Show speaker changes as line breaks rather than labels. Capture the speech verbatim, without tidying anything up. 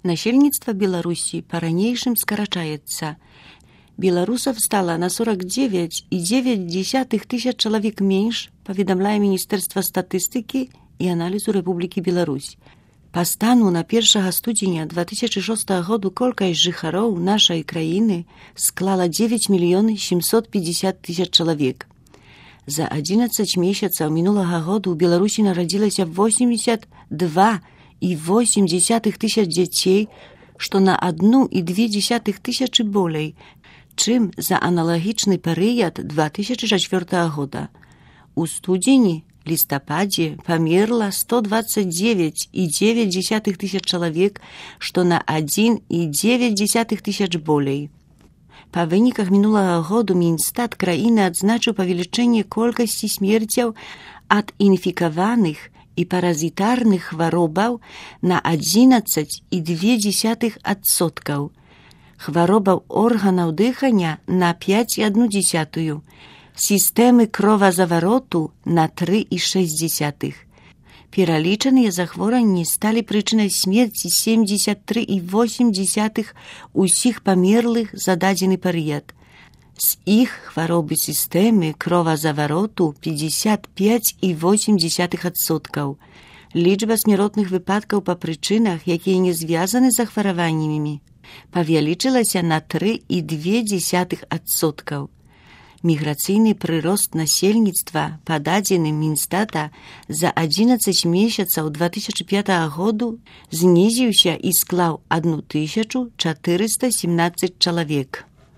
Насельніцтва Беларусі па-ранейшым скарачаецца. Беларусаў стала на сорок девять и девять десятых тысяч чалавек менш, паведамляе Міністэрства статыстыкі і аналізу Рэпублікі Беларусь. Па стану на першага студзеня две тысячи шостага году колькасць жыхароў нашай краіны склала девять мільёнаў семьсот пятьдесят тысяч чалавек. За одиннадцать месяцаў мінулага году ў Беларусі нарадзілася восемьдесят два и восемь десятых тысяч дзяцей, што на одну и две десятых тысячы болей, чым за аналагічны перыяд две тысячи четвёртага года. У студзені, лістападзе памерла сто двадцать девять и девять десятых тысяч чалавек, што на один и девять десятых тысяч болей. Па выніках мінулага году Мінстат краіны адзначыў павелічэнне колькасці смерцяў ад інфікаваных і паразітарных хваробаў на одиннадцать и две десятых адсоткаў, хваробаў органаў дыхання на пять и одну десятую, сістэмы кровазавароту на три и шесть десятых. Пералічаныя захворванні сталі прычынай смерці семьдесят три и восемь десятых усіх памерлых за дадзены перыяд. З іх хваробы сістэмы кровазавароту пятьдесят пять и восемь десятых адсоткаў. Лічба смяротных выпадкаў па прычынах, якія не звязаны з захвараваннямі, павялічылася на три и две десятых адсоткаў. Міграцыйны прырост насельніцтва па дадзеным Мінстата за одиннадцать месяцаў две тысячи пятага году знізіўся і склаў одну тысячу четыреста семнадцать чалавек.